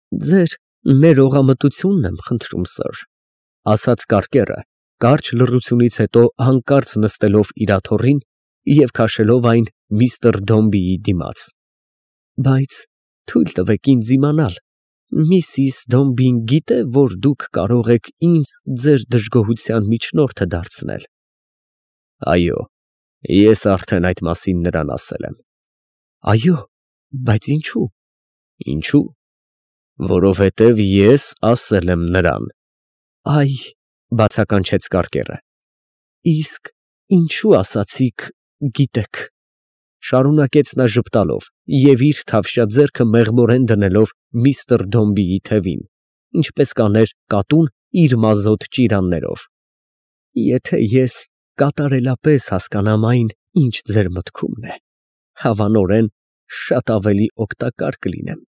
Ձեր ներողամտությունն եմ խնդրում, սըր, ասաց կարկերը, կարճ լռությունից հետո հանկարծ նստելով իր աթոռին և քաշելով այն միստր Դոմբիի դիմաց։ Բայց թույլ տվեք ինձ իմանալ, միսիս Դոմբին գիտե, որ դուք կարող եք ինձ ձեր դժգոհության միջնորդը դարձնել։ Այո, ես արդեն այդ մասին նրան ասել եմ։ Այո, բայց ինչու։ Ինչու։ Որովհետև ես ասել եմ նրան։ Այ, բացականչեց կարկերը։ Իսկ ինչու ասացիք գիտեք, շարունակեց նա ժպտալով և իր թավշյա ձեռքը մեղմորեն դնելով միստր Դոմբիի թևին, ինչպես կաներ կատուն իր մազոտ ճիրաններով։ Եթե ես կատարելապես հասկանամ այն, ինչ ձեր մտքումն է, հավանորեն շատ ավելի օգտակար կլինեմ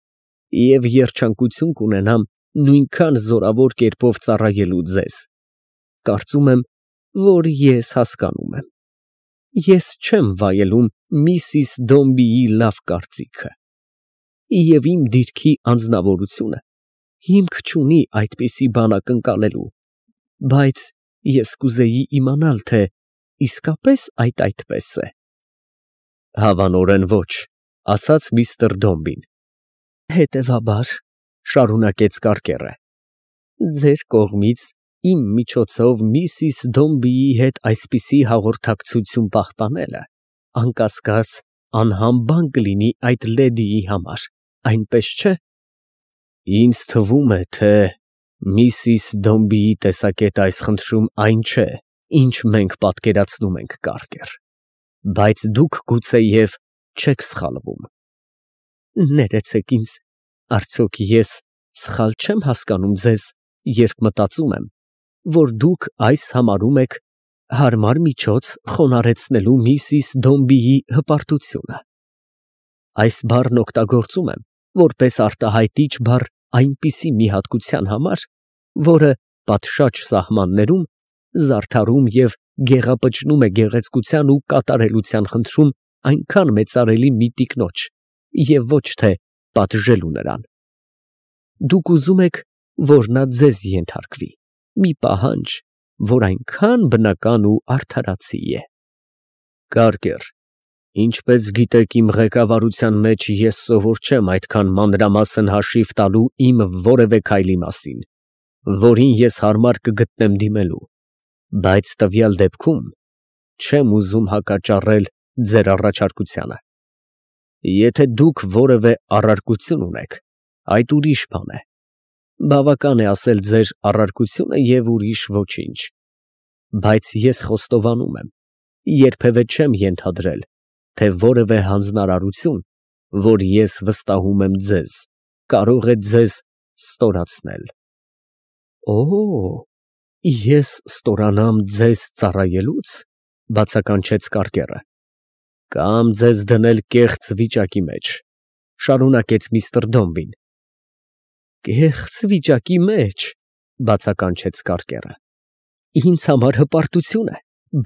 և երջանկություն կունենամ նույնքան զորավոր կերպով ծառայելու ձեզ։ Կարծում եմ, որ ես հասկանում եմ։ Ես չեմ վայելում միսիս Դոմբիի լավ կարծիքը, և իմ դիրքի անձնավորությունը հիմք չունի այդպիսի բան ակնկալելու, բայց ես կուզեի իմանալ, թե իսկապես այդպես է։ Հավանորեն ոչ, ասաց միստր Դոմբին։ Հետևաբար, շարունակեց կարկերը, ձեր կողմից իմ միջոցով միսիս Դոմբիի հետ այսպիսի հաղորդակցություն պահպանելը անկասկած անհամբան կլինի այդ լեդիի համար, այնպես չէ։ Ինձ թվում է, թե միսիս Դոմբիի տեսակետը այս խնդրում այն չէ, ինչ մենք պատկերացնում ենք, կարկեր, բայց դուք գուցեև չեք սխալվում։ Ներեցեք ինձ, արդյոք ես սխալ չեմ հասկանում ձեզ, երբ մտածում եմ, որ դուք այս համարում եք հարմար միջոց խոնարհեցնելու միսիս Դոմբիի հպարտությունը։ Այս բառն օգտագործում եմ որպես արտահայտիչ բառ այնպիսի մի հատկության համար, որը պատշաճ սահմաններում զարդարում և գեղապճնում է գեղեցկության ու կատարելության խնդրում այնքան մեծարելի մի տիկնոջ և ոչ թե պատժելու նրան։ Դուք ուզում եք, որ նա ձեզ ենթարկվի, մի պահանջ, որ այնքան բնական ու արդարացի է։ Կարկեր, ինչպես գիտեք, իմ ղեկավարության մեջ ես սովոր չեմ այդքան մանրամասն հաշիվ տալու իմ որևէ քայլի մասին, որին ես հարմար կգտնեմ դիմելու, բայց տվյալ դեպքում չեմ ուզում հակաճառել ձեր առաջարկությանը։ Եթե դուք որևէ առարկություն ունեք, այդ ուրիշ բան է։ Բավական է ասել ձեր առարկությունը և ուրիշ ոչինչ, բայց ես խոստովանում եմ, երբևէ չեմ ենթադրել, թե որևէ հանձնարարություն, որ ես վստահում եմ ձեզ, կարող է ձեզ ստորացնել։ Օ՜, ես ստորանամ ձեզ ծառայելուց, բացականչեց կարկերը, կամ ձեզ դնել կեղծ վիճակի մեջ, շարունակեց միստր Դոմբին։ Կեղծ վիճակի մեջ, բացականչեց կարկերը, ինձ համար հպարտություն է,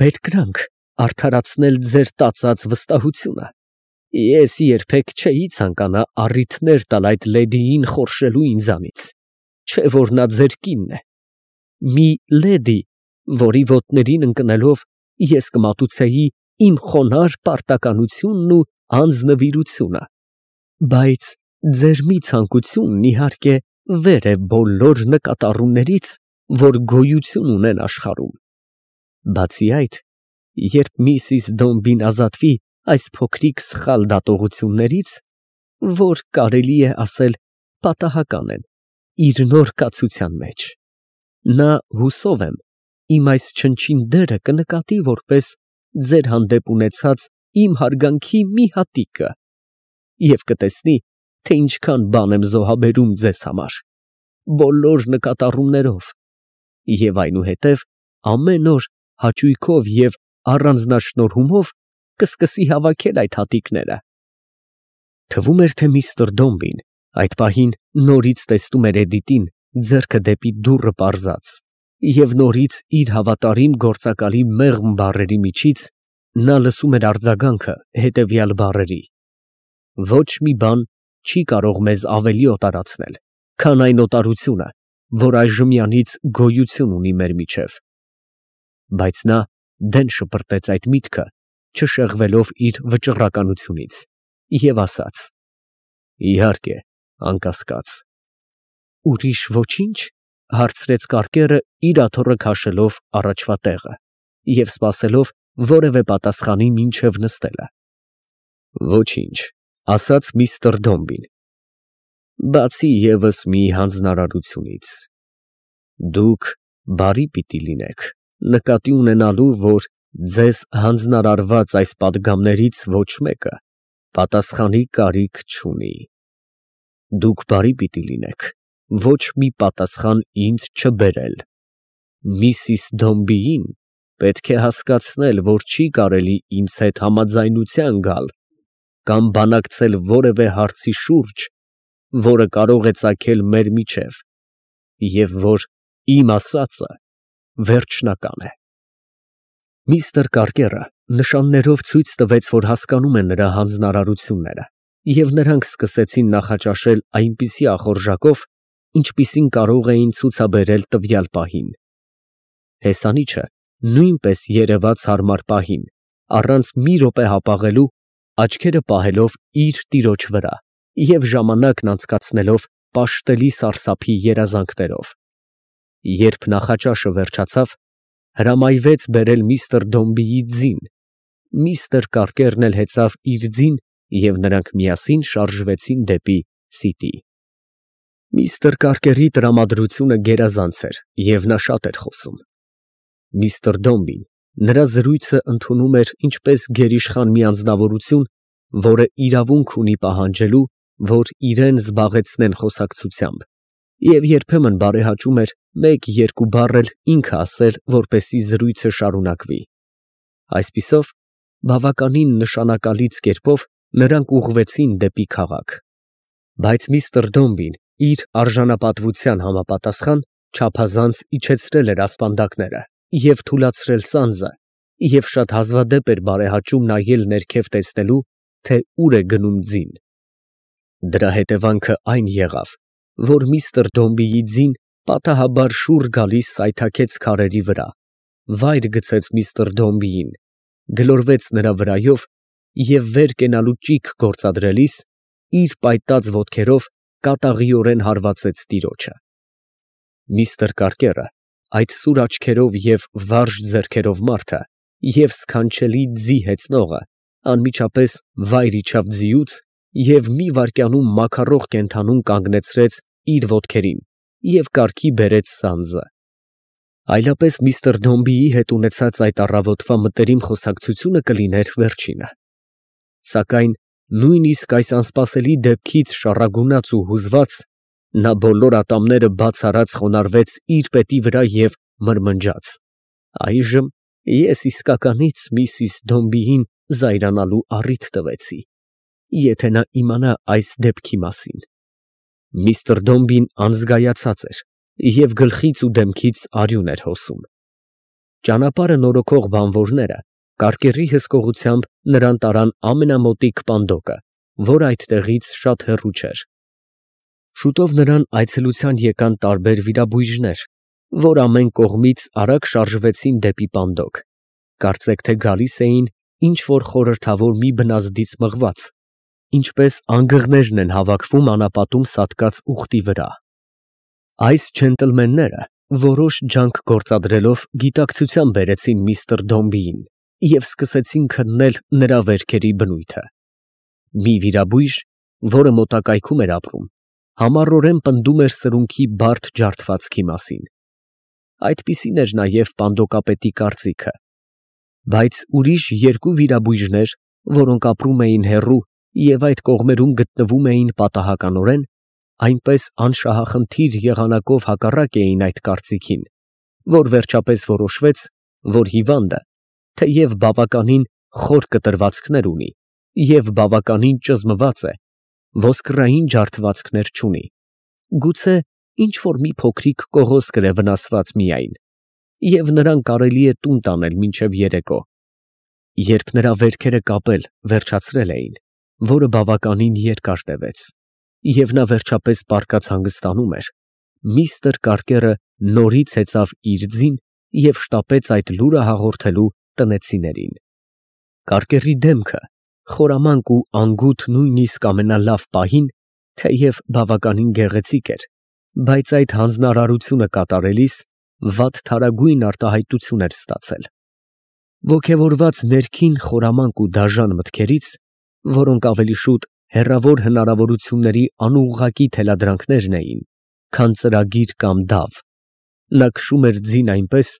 բերկրանք արդարացնել ձեր տածած վստահությունը։ Ես երբեք չէի ցանկանա առիթներ տալ այդ լեդիին խորշելու ինձանից, չէ որ նա ձեր կինն է։ Մի լեդի, որի ոտներին ընկնելով ես կմատուցեի իմ խոնարհ պարտականությունն ու անձնվիրությունը, բայց ձեր մի ցանկությունն իհարկե վեր է բոլոր նկատառումներից, որ գոյություն ունեն աշխարհում։ Բացի այդ, երբ միսիս Դոմբին ազատվի այս փոքրիկ սխալ դատողություններից, որ կարելի է ասել պատահական են, իր նոր կացության մեջ, նա, հուսով եմ, իմ այս չնչին դերը կնկատի որպես ձեր հանդեպ ունեցած իմ հարգանքի մի հատիկը և կտեսնի, թե ինչքան բան եմ զոհաբերում ձեզ համար, բոլոր նկատառումներով, և այնուհետև ամեն օր հաճույքով և առանձնաշնորհումով կսկսի հավաքել այդ հատիկները։ Թվում էր, թե միստր Դոմբին այդ պահին նորից տեսնում էր Էդիտին ձեռքը դեպի դուռը պարզած, և նորից իր հավատարիմ գործակալի մեղմ բառերի միջից նա լսում էր արձագանքը հետևյալ բառերի. «Ոչ մի բան չի կարող մեզ ավելի օտարացնել, քան այն օտարությունը, որ այժմյանից գոյություն ունի մեր միջև։ Բայց նա դեն շպրտեց այդ միտքը, չշեղվելով իր վճռականությունից, և ասաց. «Իհարկե, անկասկած»։ «Ուրիշ ոչինչ», հարցրեց կարկերը, իր աթոռը քաշելով առաջվա տեղը և սպասելով որևէ պատասխանի մինչև նստելը։ «Ոչինչ», ասաց միստր Դոմբին, «բացի ևս մի հանձնարարությունից. դուք բարի պիտի լինեք, նկատի ունենալու, որ ձեզ հանձնարարված այս պատգամներից ոչ մեկը պատասխանի կարիք չունի։ Դուք բարի պիտի լինեք ոչ մի պատասխան ինձ չբերել։ Միսիս Դոմբիին պետք է հասկացնել, որ չի կարելի ինձ հետ համաձայնության գալ կամ բանակցել որևէ հարցի շուրջ, որը կարող է ծագել մեր միջև, և որ իմ ասածը վերջնական է»։ Միստր Կարկերը նշաններով ցույց տվեց, որ հասկանում է նրա հանձնարարությունները, և նրանք սկսեցին նախաճաշել այնպիսի ախորժակով, ինչպիսին կարող էին ցուցաբերել տվյալ պահին։ Հեսանիչը նույնպես երևաց հարմար պահին, առանց մի րոպե հապաղելու, աչքերը պահելով իր տիրոջ վրա և ժամանակն անցկացնելով պաշտելի սարսափի երազանքներով։ Երբ նախաճաշը վերջացավ, հրամայվեց բերել միստր Դոմբիի ձին, միստր Կարկերն էլ հեծավ իր ձին, և նրանք միասին շարժվեցին դեպի սիտի։ Միստր Կարկերի տրամադրությունը գերազանց էր, և նա շատ էր խոսում։ Միստր Դոմբին նրա զրույցը ընդունում էր ինչպես գերիշխան մի անձնավորություն, որը իրավունք ունի պահանջելու, որ իրան զբաղեցնեն խոսակցությամբ, և երբեմն բարեհաճում էր մեկ-երկու բառ էլ ինքը ասել, որպեսզի զրույցը շարունակվի։ Այսպիսով, բավականին նշանակալից կերպով նրանք ուղղվեցին դեպի քաղաք։ Բայց միստր Դոմբին իր արժանապատվության համապատասխան չափազանց իջեցրել էր ասպանդակները և թուլացրել սանձը, և շատ հազվադեպ էր բարեհաճում նայել ներքև տեսնելու, թե ուր է գնում ձին։ Դրա հետևանքը այն եղավ, որ միստր Դոմբիի ձին պատահաբար շուռ գալիս սայթաքեց քարերի վրա, վայր գցեց միստր Դոմբիին, գլորվեց նրա վրայով և վեր կենալու ճիգ գործադրելիս, իր պայտած ոտքերով կատաղիորեն հարվածեց տիրոջը։ Միստր Կարկերը, այդ սուր աչքերով և վարժ ձեռքերով մարդը և սքանչելի ձի հեծնողը, անմիջապես վայր իջավ ձիուց և մի վայրկյանում մաքարող կենդանուն կանգնեցրեց իր ոտքերին և կարգի բերեց սանձը։ Այլապես միստր Դոմբիի հետ ունեցած այդ առավոտվա մտերիմ խոսակցությունը կլիներ վերջինը։ Սակայն նույնիսկ այս անսպասելի դեպքից շառագունած ու հուզված, նա բոլոր ատամները բաց արած խոնարհվեց իր պետի վրա և մրմնջաց. «Այժմ ես իսկականից միսիս Դոմբիին զայրանալու առիթ տվեցի, եթե նա իմանա այս դեպքի մասին»։ Միստր Դոմբին անզգայացած էր և գլխից ու դեմքից արյուն էր հոսում։ Ճանապարհը նորոգող բանվորները կարկերի հսկողությամբ նրան տարան ամենամոտիկ պանդոկը, որ այդտեղից շատ հեռու չէր։ Շուտով նրան այցելության եկան տարբեր վիրաբույժներ, որ ամեն կողմից արագ շարժվեցին դեպի պանդոկ, կարծեք թե գալիս էին ինչ֊որ խորհրդավոր մի բնազդից մղված, ինչպես անգղներն են հավաքվում անապատում սատկած ուղտի վրա։ Այս ջենտլմենները որոշ ջանք գործադրելով գիտակցության բերեցին միստր Դոմբիին և սկսեցին քննել նրա վերքերի բնույթը։ Մի վիրաբույժ, որը մոտակայքում էր ապրում, համառորեն պնդում էր սրունքի բարդ ջարդվածքի մասին։ Այդպիսին էր նաև պանդոկապետի կարծիքը։ Բայց ուրիշ երկու վիրաբույժներ, որոնք ապրում էին հեռու և այդ կողմերում գտնվում էին պատահականորեն, այնպես անշահախնդիր եղանակով հակառակ էին այդ կարծիքին, որ վերջապես որոշվեց, որ հիվանդը, թեև բավականին խոր կտրվածքներ ունի և բավականին ճզմված է, ոսկրային ջարդվածքներ չունի, գուցե ինչ֊որ մի փոքրիկ կողոսկր է վնասված միայն, և նրան կարելի է տուն տանել մինչև երեկո։ Երբ նրա վերքերը կապել վերջացրել էին, որը բավականին երկար տևեց, և նա վերջապես պառկած հանգստանում էր, միստր Կարկերը նորից հեծավ իր ձին և շտապեց այդ լուրը հաղորդելու տնեցիներին։ Կարկերի դեմքը, խորամանկ ու անգութ նույնիսկ ամենալավ պահին, թեև բավականին գեղեցիկ էր, բայց այդ հանձնարարությունը կատարելիս վատթարագույն արտահայտություն էր ստացել։ Ոգևորված ներքին խորամանկ ու դաժան մտքերից, որոնք ավելի շուտ հեռավոր հնարավորությունների անուղղակի թելադրանքներն էին, քան ծրագիր կամ դավ, նա քշում էր ձին այնպես,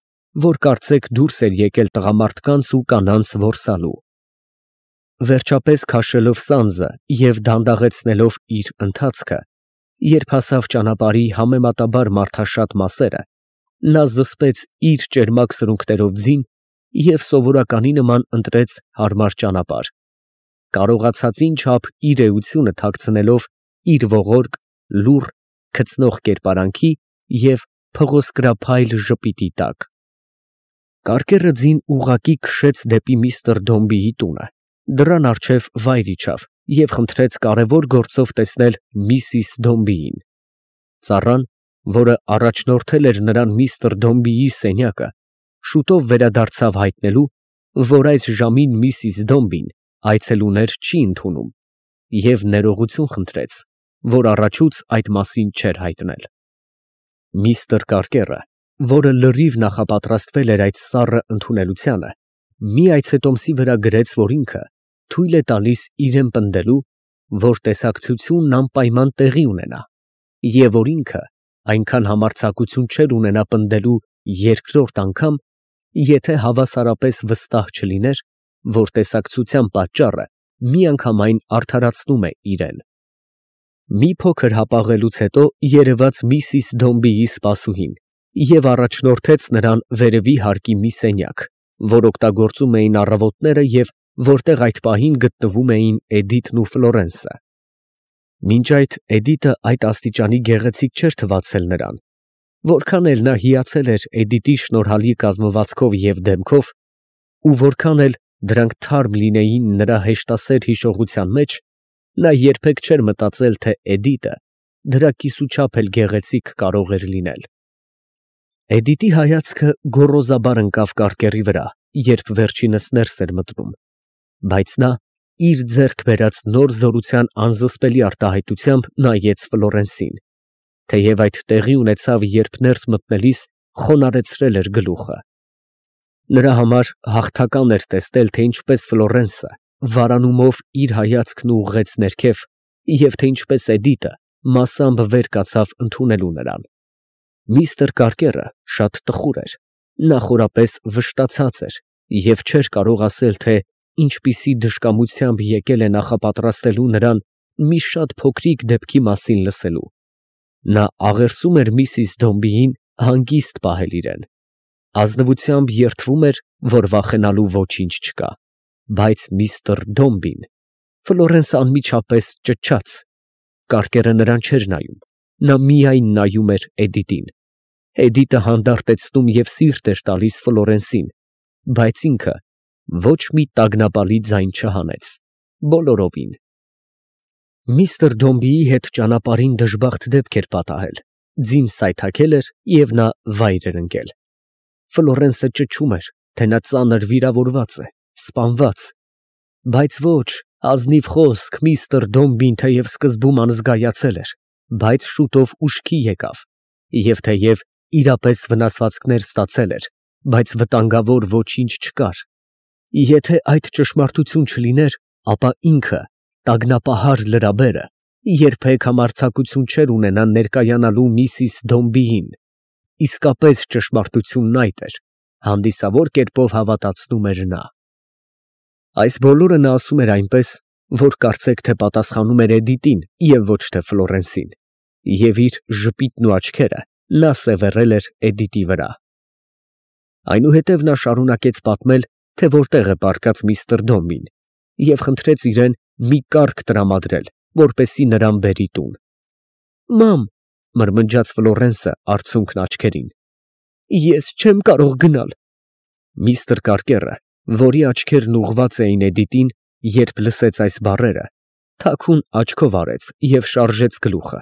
որ կարծեք դուրս էր եկել տղամարդկանց ու կանանց որսալու։ Վերջապես քաշելով սանձը և դանդաղեցնելով իր ընթացքը, երբ հասավ ճանապարհի համեմատաբար մարդաշատ մասերը, նա զսպեց իր ճերմակ սրունքներով ձին և սովորականի նման ընտրեց հարմար ճանապարհ, կարողացածին չափ իր էությունը թաքցնելով իր ողորկ, լուռ, քծնող կերպարանքի և փղոսկրափայլ ժպիտի տակ։ Կարկերը ձին ուղղակի քշեց դեպի միստր Դոմբիի տունը, դռան առջև վայր իջավ և խնդրեց կարևոր գործով տեսնել միսիս Դոմբիին։ Ծառան, որը առաջնորդել էր նրան միստր Դոմբիի սենյակը, շուտով վերադարձավ հայտնելու, որ այս ժամին միսիս Դոմբին այցելուներ չի ընդունում, և ներողություն խնդրեց, որ առաջուց այդ մասին չէր հայտնել։ Միստր Կարկերը, որը լրիվ նախապատրաստվել էր այդ սառը ընդունելությանը, մի այցետոմսի վրա գրեց, որ ինքը թույլ է տալիս իրան պնդելու, որ տեսակցությունն անպայման տեղի ունենա, և որ ինքը այնքան համարձակություն չէր ունենա պնդելու երկրորդ անգամ, եթե հավասարապես վստահ չլիներ, որ տեսակցության պատճառը միանգամայն արդարացնում է իրան։ Մի փոքր հապաղելուց հետո երևաց միսիս Դոմբիի սպասուհին և առաջնորդեց նրան վերևի հարկի մի սենյակ, որ օգտագործում էին առավոտները և որտեղ այդ պահին գտնվում էին Էդիթն ու Ֆլորենսը։ Մինչ այդ Էդիտը այդ աստիճանի գեղեցիկ չէր թվացել նրան, որքան էլ նա հիացել էր Էդիտի շնորհալի կազմվածքով և դեմքով, ու որքան էլ դրանք թարմ լինեին նրա հեշտասեր հիշողության մեջ, նա երբեք չէր մտածել, թե Էդիտը դրա կիսուչափ էլ գեղեցիկ կարող էր լինել։ Էդիտի հայացքը գոռոզաբար ընկավ Կարկերի վրա, երբ վերջինս ներս էր մտնում, բայց նա իր ձեռք բերած նոր զորության անզսպելի արտահայտությամբ նայեց Ֆլորենսին, թեև այդ տեղի ունեցավ, երբ ներս մտնելիս խոնարհեցրել էր գլուխը։ Նրա համար հաղթական էր տեսնել, թե ինչպես Ֆլորենսը վարանումով իր հայացքն ուղղեց ներքև և թե ինչպես Էդիտը մասամբ վեր կացավ ընդունելու նրան։ Միստր Կարկերը շատ տխուր էր, նախորապես վշտացած էր և չէր կարող ասել, թե ինչպիսի դժկամությամբ եկել է նախապատրաստելու նրան մի շատ փոքրիկ դեպքի մասին լսելու։ Նա աղերսում էր միսիս Դոմբիին հանգիստ պահել իրան, ազնվությամբ երդվում էր, որ վախենալու ոչինչ չկա, բայց միստր Դոմբին… Ֆլորենսը անմիջապես ճչաց։ Կարկերը նրան չէր նայում, նա միայն նայում էր Էդիտին։ Էդիտը հանդարտեցնում և սիրտ էր տալիս Ֆլորենսին, բայց ինքը ոչ մի տագնապալի ձայն չհանեց, բոլորովին։ Միստր Դոմբիի հետ ճանապարհին դժբախտ դեպք էր պատահել, ձին սայթաքել էր և նա վայր էր ընկել։ Ֆլորենսը ճչում էր, թե նա ծանր վիրավորված է, սպանված, բայց ոչ, ազնիվ խոսք, միստր Դոմբին թեև սկզբում անզգայացել էր, բայց շուտով ուշքի եկավ, և թեև իրապես վնասվածքներ ստացել էր, բայց վտանգավոր ոչինչ չկար։ Եթե այդ ճշմարտություն չլիներ, ապա ինքը, տագնապահար լրաբերը, երբեք համարձակություն չէր ունենա ներկայանալու միսիս Դոմբիին։ Իսկապես ճշմարտությունն այդ էր, հանդիսավոր կերպով հավատացնում էր նա։ Այս բոլորը նա ասում էր այնպես, որ կարծեք, թե պատասխանում էր Էդիտին և ոչ թե Ֆլորենսին, և իր ժպիտն ու աչքերը նա սևեռել էր Էդիտի վրա։ Այնուհետև նա շարունակեց պատմել, թե որտեղ է պառկած միստր Դոմբին, և խնդրեց իրան մի կառք տրամադրել, որպեսզի նրան բերի տուն։ «Մամ», մրմնջաց Ֆլորենսը արցունքն աչքերին, «ես չեմ կարող գնալ»։ Միստր Կարկերը, որի աչքերն ուղղված էին Էդիտին, երբ լսեց այս բառերը, թաքուն աչքով արեց և շարժեց գլուխը։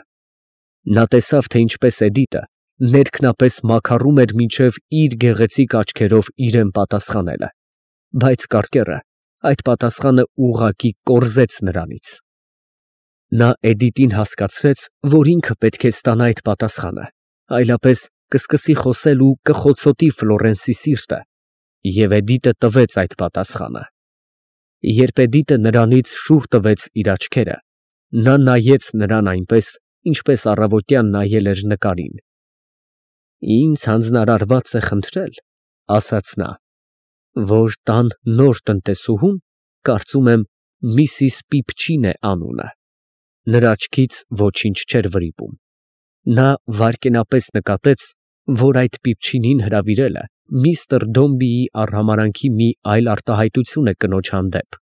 Նա տեսավ, թե ինչպես Էդիտը ներքնապես մաքարում էր մինչև իր գեղեցիկ աչքերով իրեն պատասխանելը, բայց կարկերը այդ պատասխանը ուղղակի կորզեց նրանից։ Նա Էդիտին հասկացրեց, որ ինքը պետք է ստանա այդ պատասխանը, այլապես կսկսի խոսել ու կխոցոտի Ֆլորենսի սիրտը, և Էդիտը տվեց այդ պատասխանը։ Երբ Էդիտը նրանից շուռ տվեց իր աչքերը, նա նայեց նրան այնպես, ինչպես առավոտյան նայել էր նկարին։ «Ինձ հանձնարարված է խնդրել, ֊ ասաց նա, ֊ որ տան նոր տնտեսուհուն, կարծում եմ, Միսիս Պիպչին է անունը»։ Նրա աչքից ոչինչ չէր վրիպում։ Նա վայրկենապես նկատեց, որ այդ Պիպչինին հրավիրելը միստր Դոմբիի արհամարհանքի մի այլ արտահայտություն է կնոջ հանդեպ։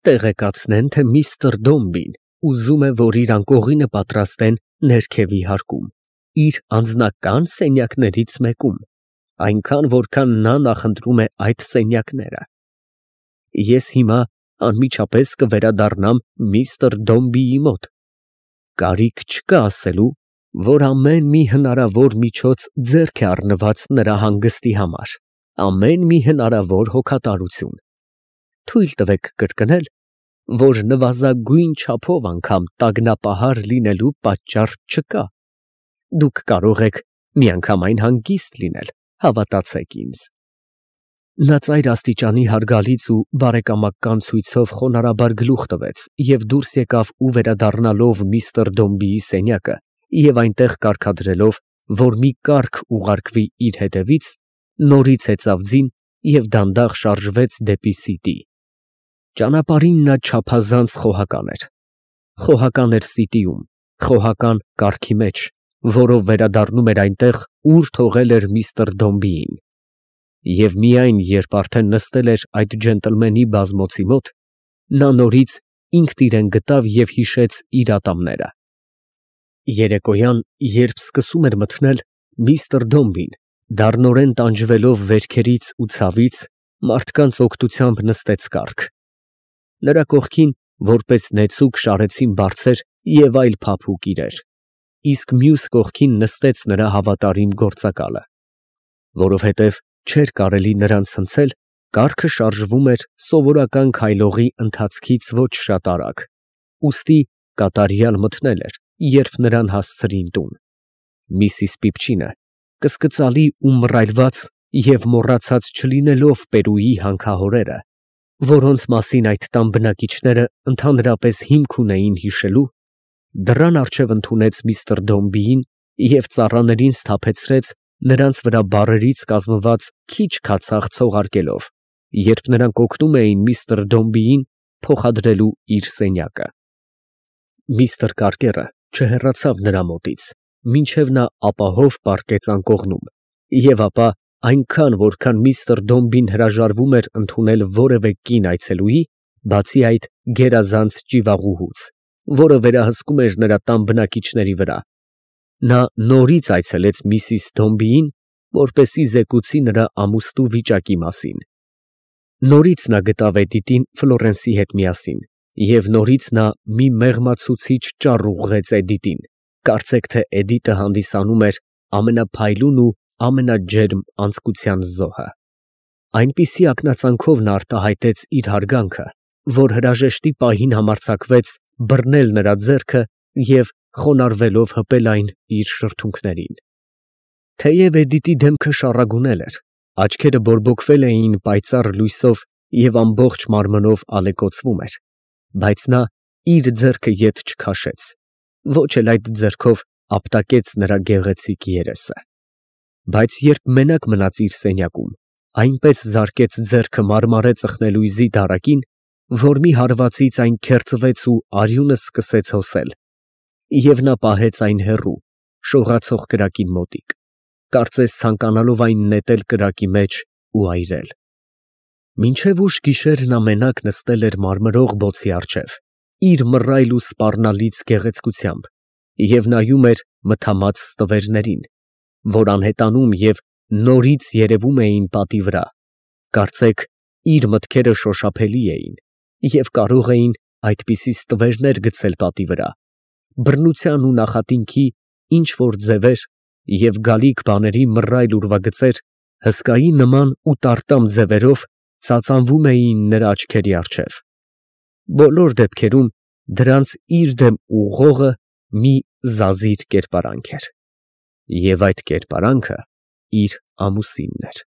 Տեղեկացնեն, թե միստր Դոմբին ուզում է, որ իր անկողինը պատրաստեն ներքևի հարկում, իր անձնական սենյակներից մեկում, այնքան, որքան նա նախընտրում է այդ սենյակները։ Ես հիմա անմիջապես կվերադառնամ միստր Դոմբիի մոտ։ Կարիք չկա ասելու, որ ամեն մի հնարավոր միջոց ձեռք է առնված նրա հանգստի համար, ամեն մի հնարավոր հոգատարություն։ Թույլ տվեք կրկնել, որ նվազագույն չափով անգամ տագնապահար լինելու պատճառ չկա։ Դուք կարող եք միանգամայն հանգիստ լինել, հավատացեք ինձ։ Նա ծայր աստիճանի հարգալից ու բարեկամական ցույցով խոնարհաբար գլուխ տվեց և դուրս եկավ ու վերադառնալով միստր Դոմբիի սենյակը և այնտեղ կարգադրելով, որ մի կառք ուղարկվի իր հետևից, նորից հեծավ ձին և դանդաղ շարժվեց դեպի Սիտի։ Ճանապարհին նա չափազանց խոհական էր։ Խոհական էր Սիտիում, խոհական կառքի մեջ, որով վերադառնում էր այնտեղ, ուր թողել էր միստր Դոմբիին։ Եվ միայն երբ արդեն նստել էր այդ ջենտլմենի բազմոցի մոտ, նա նորից ինքն իրեն գտավ և հիշեց իր ատամները։ Երեկոյան, երբ սկսում էր մթնել, միստր Դոմբին, դառնորեն տանջվելով վերքերից ու ցավից, մարդկանց օգնությամբ նստեց կառք։ Նրա կողքին, որպես նեցուկ, շարեցին բարձեր և այլ փափուկ իրեր, իսկ մյուս կողքին նստեց նրա հավատարիմ գործակալը։ Որովհետև չէր կարելի նրանց հնցել, կառքը շարժվում էր սովորական քայլողի ընթացքից ոչ շատ արագ, ուստի կատարյալ մթնել էր, երբ նրան հասցրին տուն։ Միսիս Պիպչինը, կսկծալի ու մռայլված և մոռացած չլինելով Պերուի հանքահորերը, որոնց մասին այդ տան բնակիչները ընդհանրապես հիմք ունեին հիշելու, դռան առջև ընդունեց միստր Դոմբիին և ծառաներին սթափեցրեց նրանց վրա բառերից կազմված քիչ քացախ ցողարկելով, երբ նրանք օգնում էին միստր Դոմբիին փոխադրելու իր սենյակը։ Միստր Կարկերը չհեռացավ նրա մոտից, մինչև նա ապահով պառկեց անկողնում, և ապա այնքան, որքան միստր Դոմբին հրաժարվում էր ընդունել որևէ կին այցելուի, բացի այդ գերազանց ճիվաղուհուց, որը վերահսկում էր նրա տան բնակիչների վրա, նա նորից այցելեց միսիս Դոմբիին, որպեսզի զեկուցի նրա ամուսնու վիճակի մասին։ Նորից նա գտավ Էդիտին Ֆլորենսի հետ միասին, և նորից նա մի մեղմացուցիչ ճառ ուղղեց Էդիտին, կարծեք թե Էդիտը հանդիսանում էր ամենափայլուն ու ամենաջերմ անձկության զոհը։ Այնպիսի ակնածանքով նա արտահայտեց իր հարգանքը, որ հրաժեշտի պահին համարձակվեց բռնել նրա ձեռքը և խոնարհվելով հպել այն իր շրթունքներին։ Թեև Էդիտի դեմքը շառագունել էր, աչքերը բորբոքվել էին պայծառ լույսով և ամբողջ մարմնով ալեկոծվում էր, բայց նա իր ձեռքը ետ չքաշեց, ոչ էլ այդ ձեռքով ապտակեց նրա գեղեցիկ երեսը։ Բայց երբ մենակ մնաց իր սենյակում, այնպես զարկեց ձեռքը մարմարե ծխնելույզի դարակին, որ մի հարվածից այն քերծվեց ու արյունը սկսեց հոսել, և նա պահեց այն հեռու, շողացող կրակին մոտիկ, կարծես ցանկանալով այն նետել կրակի մեջ ու այրել։ Մինչև ուշ գիշեր նա մենակ նստել էր մարմրող բոցի առջև, իր մռայլ ու սպառնալից գեղեցկությամբ, և նայում էր մթամած ստվերներին, որ անհետանում և նորից երևում էին պատի վրա, կարծեք իր մտքերը շոշափելի էին և կարող էին այդպիսի ստվերներ գցել պատի վրա, բռնության ու նախատինքի ինչ որ ձևեր և գալիք բաների մռայլ ուրվագծեր հսկայի նման ու տարտամ ձևերով ծածանվում էին նրա աչքերի առջև. բոլոր դեպքերում դրանց իր դեմ ուղղողը մի զազիր կերպարանք էր, և այդ կերպարանքը իր ամուսինն էր։